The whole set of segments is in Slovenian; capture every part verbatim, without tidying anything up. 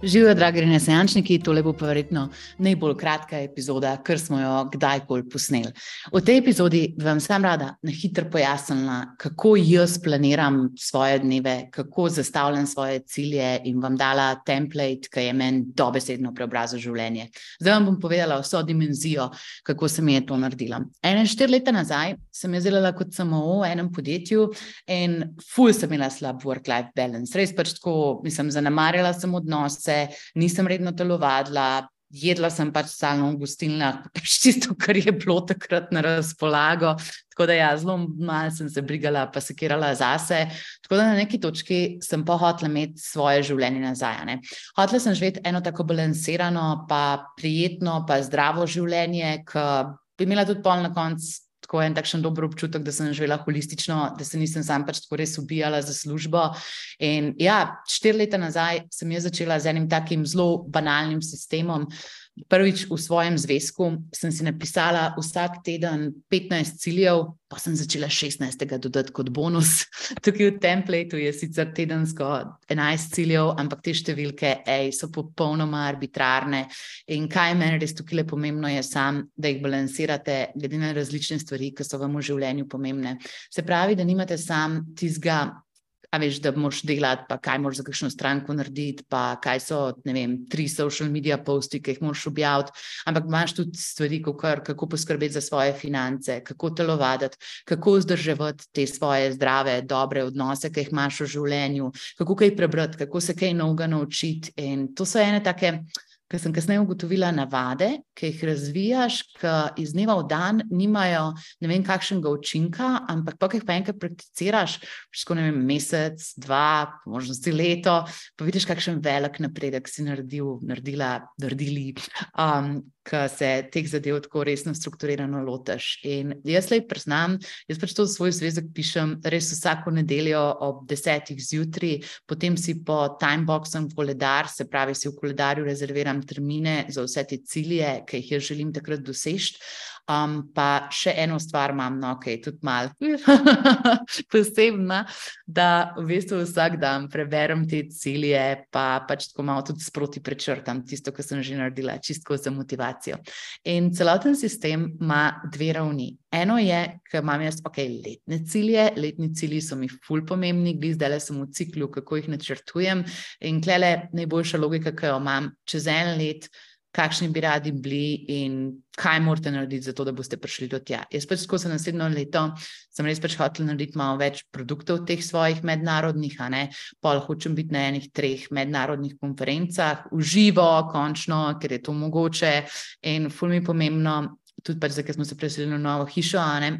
Živijo, dragi renesančniki, tole bo pa verjetno najbolj kratka epizoda, kar smo jo kdajkoli posneli. V tej epizodi vam sam rada na hitro pojasnila, kako jaz planiram svoje dneve, kako zastavljam svoje cilje in vam dala template, ki je meni dobesedno preobrazil življenje. Zdaj vam bom povedala vso dimenzijo, kako se mi je to naredila. Ene štiri leta nazaj sem jaz delala kot S M O v enem podjetju in ful sem imela slab work-life balance. Res pač tako, mislim, zanemarjala sem odnose, nisem redno telovadila, jedla sem pač stalno v gostilnah, pač tisto, kar je bilo takrat na razpolago, tako da ja, zelo malo sem se brigala pa sekirala zase, tako da na neki točki sem pa hotela imeti svoje življenje nazaj, ne. Hotela sem živeti eno tako balansirano, pa prijetno, pa zdravo življenje, ki bi imela tudi pol na koncu tako en takšen dober občutek, da sem živela holistično, da se nisem sam pač tako res ubijala za službo. In ja, štiri leta nazaj sem jaz začela z enim takim zelo banalnim sistemom. Prvič v svojem zvezku sem si napisala vsak teden petnajst ciljev, pa sem začela šestnajstega dodati kot bonus. Tukaj v templateu je sicer tedensko enajst ciljev, ampak te številke ej, so popolnoma arbitrarne. In kaj meni res tukaj pomembno je sam, da jih balansirate glede na različne stvari, ki so vam v življenju pomembne. Se pravi, da nimate sam tistega, a veš, da moraš delati, pa kaj moraš za kakšno stranko narediti, pa kaj so, ne vem, tri social media posti, ki jih moraš objaviti, ampak imaš tudi stvari, kakor, kako poskrbeti za svoje finance, kako telovaditi, kako vzdrževati te svoje zdrave, dobre odnose, ki jih imaš v življenju, kako kaj prebrati, kako se kaj novega naučiti. In to so ene take, ker sem kasneje ugotovila, navade, ki jih razvijaš, ki iz dneva v dan nimajo ne vem kakšnega učinka, ampak pa, ki jih pa enkrat prakticiraš,sko ne vem, mesec, dva, možnosti leto, pa vidiš, kakšen velik napredek si naredil, naredila, naredili, um, ki se teh zadev tako resno strukturirano lotiš. In jaz lej priznam, jaz pač to svoj zvezek pišem res vsako nedeljo ob desetih zjutraj, potem si po timeboxem koledar, se pravi si v koledarju rezerviram termine za vse te cilje, ki jih jaz želim takrat doseči. Um, pa še eno stvar imam, no, ok, tudi malo posebna, da v bistvu vsak dan preberem te cilje, pa pač tako malo tudi sproti prečrtam tisto, kar sem že naredila, čistko za motivacijo. In celoten sistem ima dve ravni. Eno je, ker imam jaz, ok, letne cilje, letni cilji so mi ful pomembni, glih zdajle sem v ciklu, kako jih načrtujem in tlele najboljša logika, ki jo imam čez en let, kakšni bi radi bili in kaj morate narediti za to, da boste prišli do tja. Jaz pač tako za naslednjo leto sem res pač hotela narediti malo več produktov teh svojih mednarodnih, a ne, pol hočem biti na enih treh mednarodnih konferencah, v živo, končno, ker je to mogoče in ful mi pomembno, tudi pač zdaj, ker smo se preselili v novo hišo, a ne,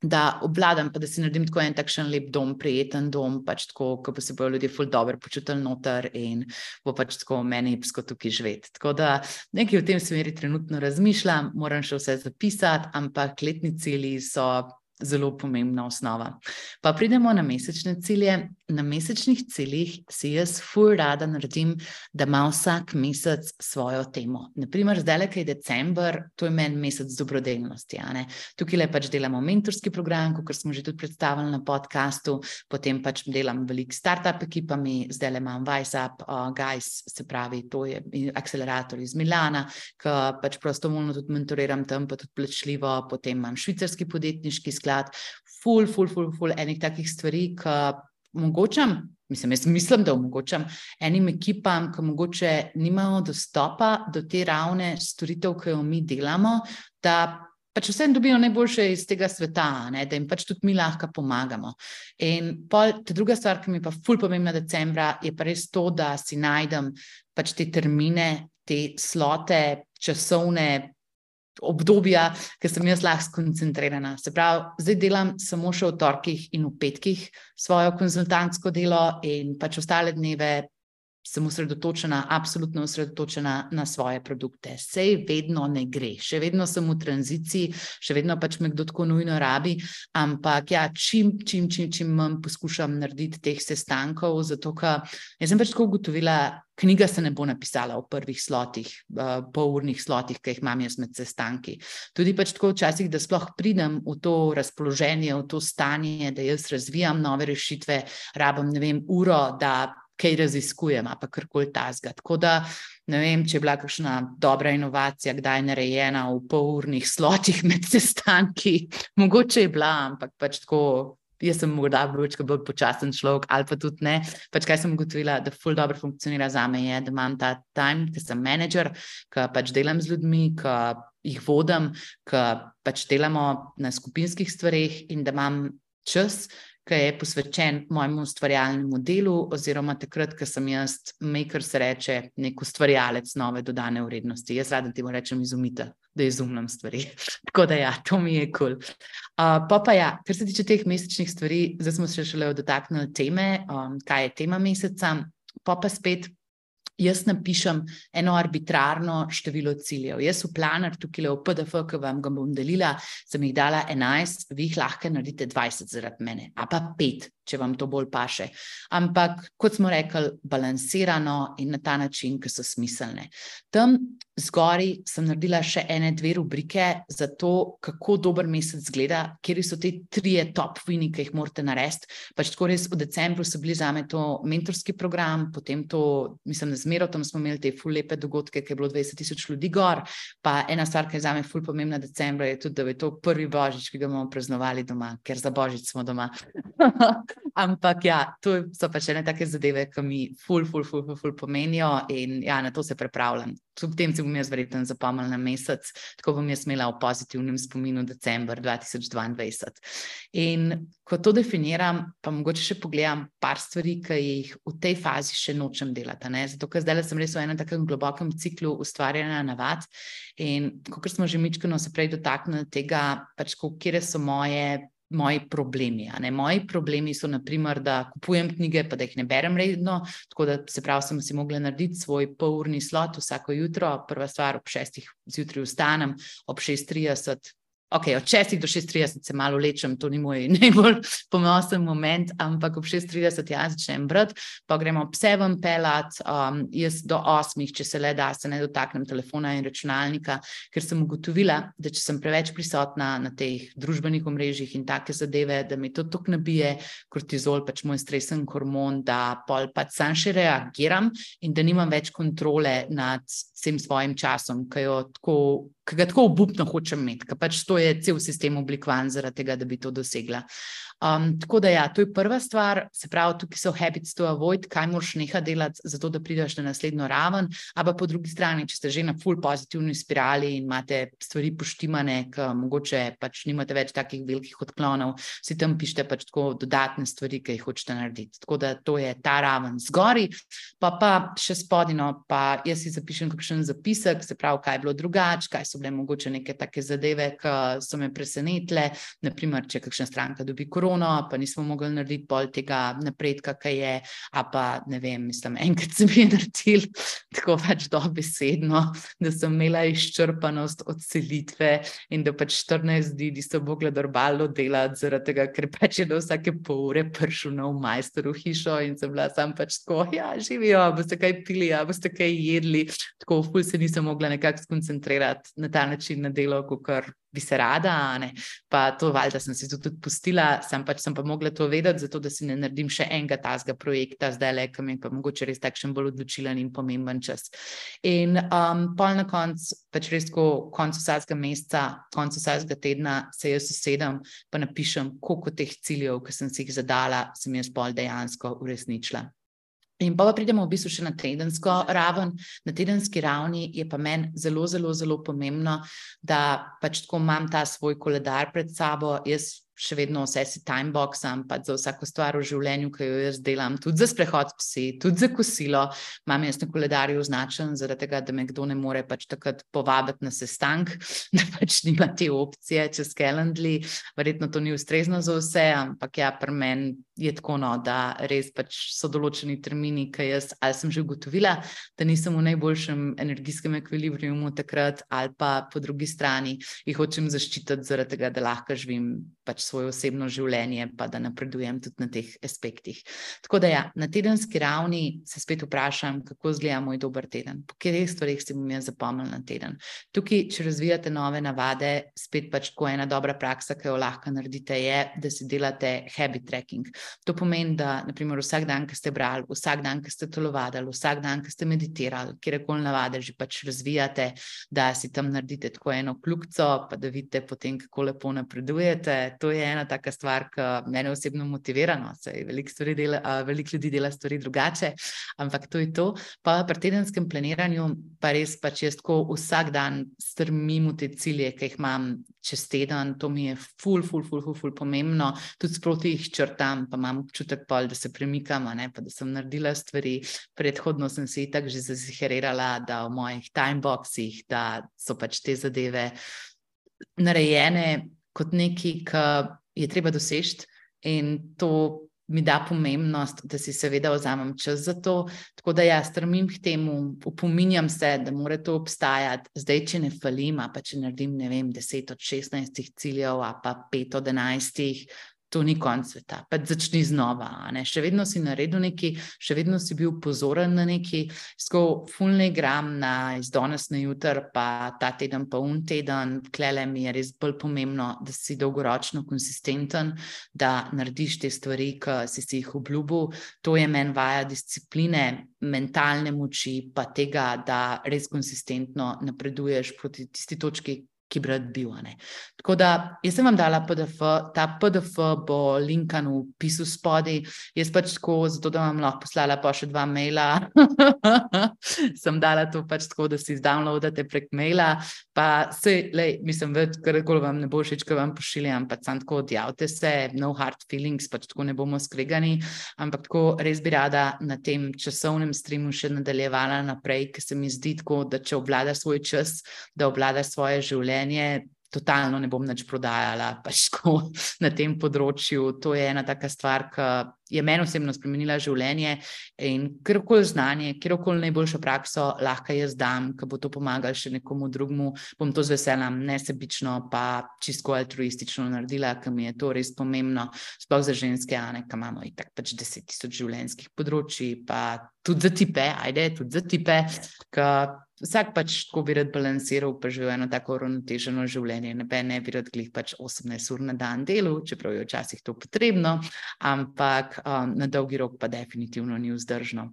da obvladam, pa da si naredim tako en takšen lep dom, prijeten dom, pač tako, ko pa se bojo ljudje ful dobro počutili noter in bo pač tako meni epsko tukaj živeti. Tako da nekaj v tem smeri trenutno razmišljam, moram še vse zapisati, ampak letni cilji so zelo pomembna osnova. Pa pridemo na mesečne cilje. Na mesečnih ciljih si jaz ful rada naredim, da ima vsak mesec svojo temo. Naprimer, zdajle, ki je december, to je meni mesec dobrodelnosti, a ne. Tukaj le pač delamo mentorski program, kakor smo že tudi predstavili na podcastu, potem pač delam veliko startup ekipami, zdajle imam WiseUp uh, Guys, se pravi, to je akcelerator iz Milana, ki pač prostovoljno tudi mentoriram tam, pa tudi plačljivo, potem imam švicarski podjetniški sklad, ful, ful, ful, ful, enih takih stvari, ki omogočam, mislim, jaz mislim, da omogočam enim ekipam, ki mogoče nimajo dostopa do te ravne storitev, ki jo mi delamo, da pač vsem dobijo najboljše iz tega sveta, ne, da jim pač tudi mi lahko pomagamo. In pol, ta druga stvar, ki mi pa ful pomembna decembra, je pa res to, da si najdem pač te termine, te slote, časovne obdobja, ker sem jaz lahko skoncentrirana. Se pravi, zdaj delam samo še v torkih in v petkih svojo konzultantsko delo in pač ostale dneve sem osredotočena, absolutno osredotočena na svoje produkte. Sej vedno ne gre, še vedno sem v tranziciji, še vedno pač me kdo tako nujno rabi, ampak ja, čim, čim, čim, čim manj poskušam narediti teh sestankov, zato ker jaz sem pač tako ugotovila, knjiga se ne bo napisala v prvih slotih, uh, polurnih slotih, ki jih imam jaz med sestanki. Tudi pač tako včasih, da sploh pridem v to razpoloženje, v to stanje, da jaz razvijam nove rešitve, rabim, ne vem, uro, da kaj raziskujem, pa karkoli tazga. Tako da, ne vem, če je bila kakšna dobra inovacija, kdaj je narejena v polurnih slotih med sestanki, mogoče je bila, ampak pač tako, jaz sem morda bolj počasen človek, ali pa tudi ne. Pač kaj sem ugotovila, da ful dobro funkcionira zame je, da imam ta time, ki sem menedžer, ki pač delam z ljudmi, ki jih vodim, ki pač delamo na skupinskih stvareh in da imam čas, ki je posvečen mojemu ustvarjalnemu delu, oziroma takrat, ko sem jaz, maker se reče, nek ustvarjalec nove dodane vrednosti. Jaz rada temu rečem izumitelj, da izumljam stvari. Tako da ja, to mi je kul. Cool. Uh, pa pa ja, kar se tiče teh mesečnih stvari, zdaj smo se šele dotaknili teme, um, kaj je tema meseca, pa pa spet jaz napišem eno arbitrarno število ciljev. Jaz v planer tukaj v P D F, ki vam ga bom delila, sem jih dala enajst, vi jih lahko naredite dvajset zaradi mene, a pa pet, če vam to bolj paše. Ampak, kot smo rekli, balansirano in na ta način, ki so smiselne. Tam zgori sem naredila še ene dve rubrike za to, kako dober mesec zgleda, kjer so te trije top wini, ki jih morate narediti. Pač tako res v decembru so bili zame to mentorski program, potem to, mislim, da zmero tam smo imeli te ful lepe dogodke, ki je bilo dvajset tisoč ljudi gor, pa ena stvar, ki je zame ful pomembna decembra, je tudi, da je to prvi božič, ki ga bomo praznovali doma, ker za božič smo doma. Ampak ja, to so pač ene take zadeve, ki mi ful, ful, ful, ful, ful pomenijo in ja, na to se pripravljam. V tem si bom jaz verjetno zapomnila na mesec, tako bom jaz imela v pozitivnem spominu december dva tisoč dvaindvajset. In ko to definiram, pa mogoče še pogledam par stvari, ki jih v tej fazi še nočem delati, ne? Zato, ker zdaj sem res v enem takem globokem ciklu ustvarjanja navad in kot smo že mičkeno se prej dotaknili tega, pač kje so moje moji problemi. A ne? Moji problemi so naprimer, da kupujem knjige, pa da jih ne berem redno, tako da se pravi, sem si mogla narediti svoj polurni slot vsako jutro, prva stvar ob šestih zjutraj vstanem, ob šest trideset, ok, od šestih do šest trideset se malo lečem, to ni moj najbolj ponosen moment, ampak ob šest trideset jaz začnem brati, pa gremo pse ven pelat, um, jaz do osmih, če se le da, se ne dotaknem telefona in računalnika, ker sem ugotovila, da če sem preveč prisotna na teh družbenih omrežjih in take zadeve, da mi to toliko nabije kortizol, pač moj stresen hormon, da pol pač sam še reagiram in da nimam več kontrole nad vsem svojim časom, ki jo tako ki ga tako obupno hočem imeti, ker pač to je cel sistem oblikovan zaradi tega, da bi to dosegla. Um, tako da ja, to je prva stvar, se pravi, tukaj so habits to avoid, kaj moraš neha delati, zato da prideš na naslednjo raven, a pa po drugi strani, če ste že na ful pozitivni spirali in imate stvari poštimane, ki mogoče pač nimate več takih velikih odklonov, si tam pišete pač tako dodatne stvari, ki jih hočete narediti. Tako da to je ta raven zgori, pa pa še spodino, pa jaz si zapišem kakšen zapisek, se pravi, kaj je bilo drugače, kaj so bile mogoče neke take zadeve, ki so me presenetile, naprimer, če kakšna stranka dobi korono, pa nismo mogli narediti bolj tega napredka, kaj je, a pa ne vem, mislim, enkrat sem je naredil tako pač dobesedno, da sem imela izčrpanost od selitve in da pač štirinajst dni niso mogla normalno delati zaradi tega, ker pač je do vsake pol ure prišel nov majster v hišo in sem bila sam pač tako, ja, živijo, boste kaj pili, ja, boste kaj jedli, tako ful se nisem mogla nekako skoncentrirati na ta način na delo, kakor bi se rada, ne, pa to valjda sem si to tudi pustila, sem pač sem pa mogla to vedeti, zato da si ne naredim še enega tazga projekta, zdaj le, ki mi je pa mogoče res takšen bolj odločilen in pomemben čas. In um, pol na koncu, pač res ko koncu vsakega meseca, koncu vsakega tedna se jaz usedem, pa napišem, koliko teh ciljev, ki sem si jih zadala, sem jaz pol dejansko uresničila. In pa, pa pridemo v bistvu še na tedensko raven. Na tedenski ravni je pa meni zelo, zelo, zelo pomembno, da pač tako imam ta svoj koledar pred sabo, jaz še vedno vse si timeboxam, pa za vsako stvar v življenju, ki jo jaz delam, tudi za sprehod s psi, tudi za kosilo, imam jaz na koledarju označen, zaradi tega, da me kdo ne more pač takrat povabiti na sestank, da pač nima te opcije čez Calendly, verjetno to ni ustrezno za vse, ampak ja, pri meni je tako, no, da res pač so določeni termini, ki jaz ali sem že ugotovila, da nisem v najboljšem energijskem ekvilibriumu takrat, ali pa po drugi strani jih hočem zaščititi zaradi tega, da lahko živim pač svoje osebno življenje, pa da napredujem tudi na teh aspektih. Tako da ja, na tedenski ravni se spet vprašam, kako izgleda moj dober teden, po katerih stvareh si bom jaz zapomnila na teden. Tukaj, če razvijate nove navade, spet pač tako ena dobra praksa, ki jo lahko naredite, je, da si delate habit tracking. To pomeni, da naprimer, vsak dan, ki ste brali, vsak dan, ki ste telovadili, vsak dan, ki ste meditirali, kjerkoli navade že pač razvijate, da si tam naredite tako eno kljukico, pa da vidite potem, kako lepo napredujete. To je ena taka stvar, ki mene osebno motivira, no, saj veliko stvari dela, veliko ljudi dela stvari drugače, ampak to je to. Pa pri tedenskem planiranju pa res pač jaz tako vsak dan strmim v te cilje, ki jih imam čez teden, to mi je ful, ful, ful, ful, ful pomembno, tudi sproti jih črtam, pa imam občutek pol, da se premikam, ne, pa da sem naredila stvari, predhodno sem se itak že zaziherirala, da v mojih timeboxih, da so pač te zadeve narejene kot nekaj, ki je treba doseči in to mi da pomembnost, da si seveda vzamem čas za to, tako da ja, strmim k temu, opominjam se, da mora to obstajati, zdaj, če ne falim, pa če naredim, ne vem, deset od šestnajstih ciljev, a pa pet od enajstih, to ni konc sveta, pa začni znova, ne, še vedno si naredil nekaj, še vedno si bil pozoren na nekaj, sko ful ne igram na iz danes na jutr, pa ta teden pa un teden, tlele mi je res bolj pomembno, da si dolgoročno konsistenten, da narediš te stvari, ki si si jih obljubil, to je meni vaja discipline, mentalne moči, pa tega, da res konsistentno napreduješ proti tisti točki, ki bi rad bil, ne. Tako da, jaz sem vam dala P D F, ta P D F bo linkan v opisu spodaj, jaz pač tako, zato da vam lahko poslala pa še dva maila, sem dala to pač tako, da si zdownloadate prek maila, pa sej, lej, mislim, več, karkoli vam ne bo všeč, ko vam pošiljam, pač sam tako odjavite se, no hard feelings, pač tako ne bomo skregani, ampak tako res bi rada na tem časovnem streamu še nadaljevala naprej, ker se mi zdi tako, da če obvladaš svoj čas, da obvladaš svoje življenje, totalno ne bom nič prodajala, pač tako na tem področju, to je ena taka stvar, ki je meni osebno spremenila življenje in kjerkoli znanje, kjerkoli najboljšo prakso lahko jaz dam, ki bo to pomagalo še nekomu drugemu, bom to z veseljem nesebično pa čisto altruistično naredila, ker mi je to res pomembno, sploh za ženske, Ane, ki imamo itak pač deset tisoč življenjskih področji, pa tudi za tipe, ajde, tudi za tipe, ki vsak pač tako bi rad balansiral, pa živel eno tako uravnoteženo življenje, ne, ne bi rad glih pač osemnajst ur na dan delu, čeprav je včasih to potrebno, ampak um, na dolgi rok pa definitivno ni vzdržno.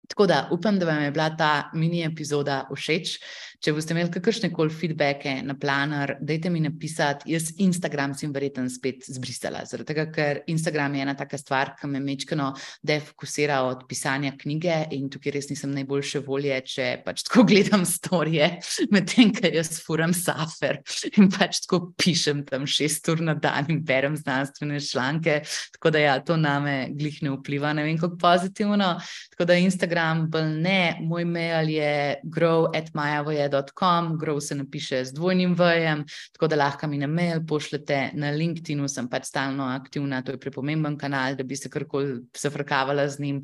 Tako da upam, da vam je bila ta mini epizoda všeč. Če boste imeli kakršnekoli feedbacke na Planner, dajte mi napisati, jaz Instagram sem verjetno spet zbrisala, zaradi tega, ker Instagram je ena taka stvar, ki me mečkano defokusira od pisanja knjige in tukaj res nisem najboljše volje, če pač tako gledam storije, medtem, ker jaz furam safer in pač tako pišem tam šest ur na dan in berem znanstvene članke, tako da ja, to name glih ne vpliva, ne vem kako pozitivno, tako da Instagram bolj ne, moj mail je grow at majavoje dot com, grow se napiše z dvojnim v-jem, tako da lahko mi na mail pošljete, na LinkedInu sem pač stalno aktivna, to je prepomemben kanal, da bi se karkoli zafrkavala z njim.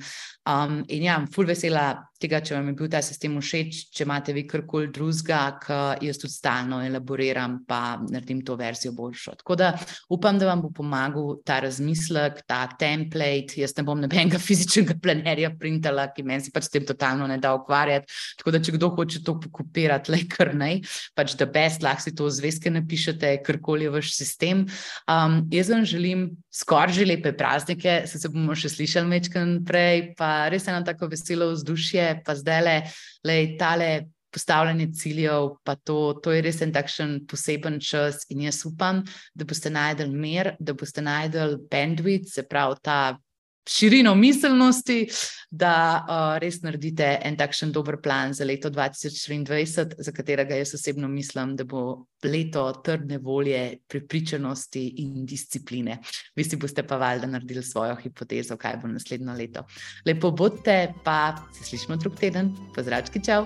Um, in ja, ful vesela tega, če vam je bil ta sistem všeč, če imate vi karkoli drugega, ki jaz tudi stalno elaboriram, pa naredim to verzijo boljšo. Tako da upam, da vam bo pomagal ta razmislek, ta template, jaz ne bom nobenega fizičnega planerja printala, ki meni se pač s tem totalno ne da ukvarjati, tako da če kdo hoče to pokopirati, lej kar nej, pač the best, lahko si to v zvezke napišete, karkoli je vaš sistem. Um, jaz vam želim skoraj že lepe praznike, se se bomo še slišali mečkan prej, pa res eno tako veselo vzdušje, pa zdajle, lej, tale postavljanje ciljev, pa to, to je res en takšen poseben čas in jaz upam, da boste najdel mir, da boste najdel bandwidth, se pravi ta širino miselnosti, da uh, res naredite en takšen dober plan za leto dva tisoč triindvajset, za katerega jaz osebno mislim, da bo leto trdne volje, prepričanosti in discipline. Vi si boste pa valjda naredili svojo hipotezo, kaj bo naslednjo leto. Lepo bodite, pa se slišimo drug teden. Pozdravčki, čau!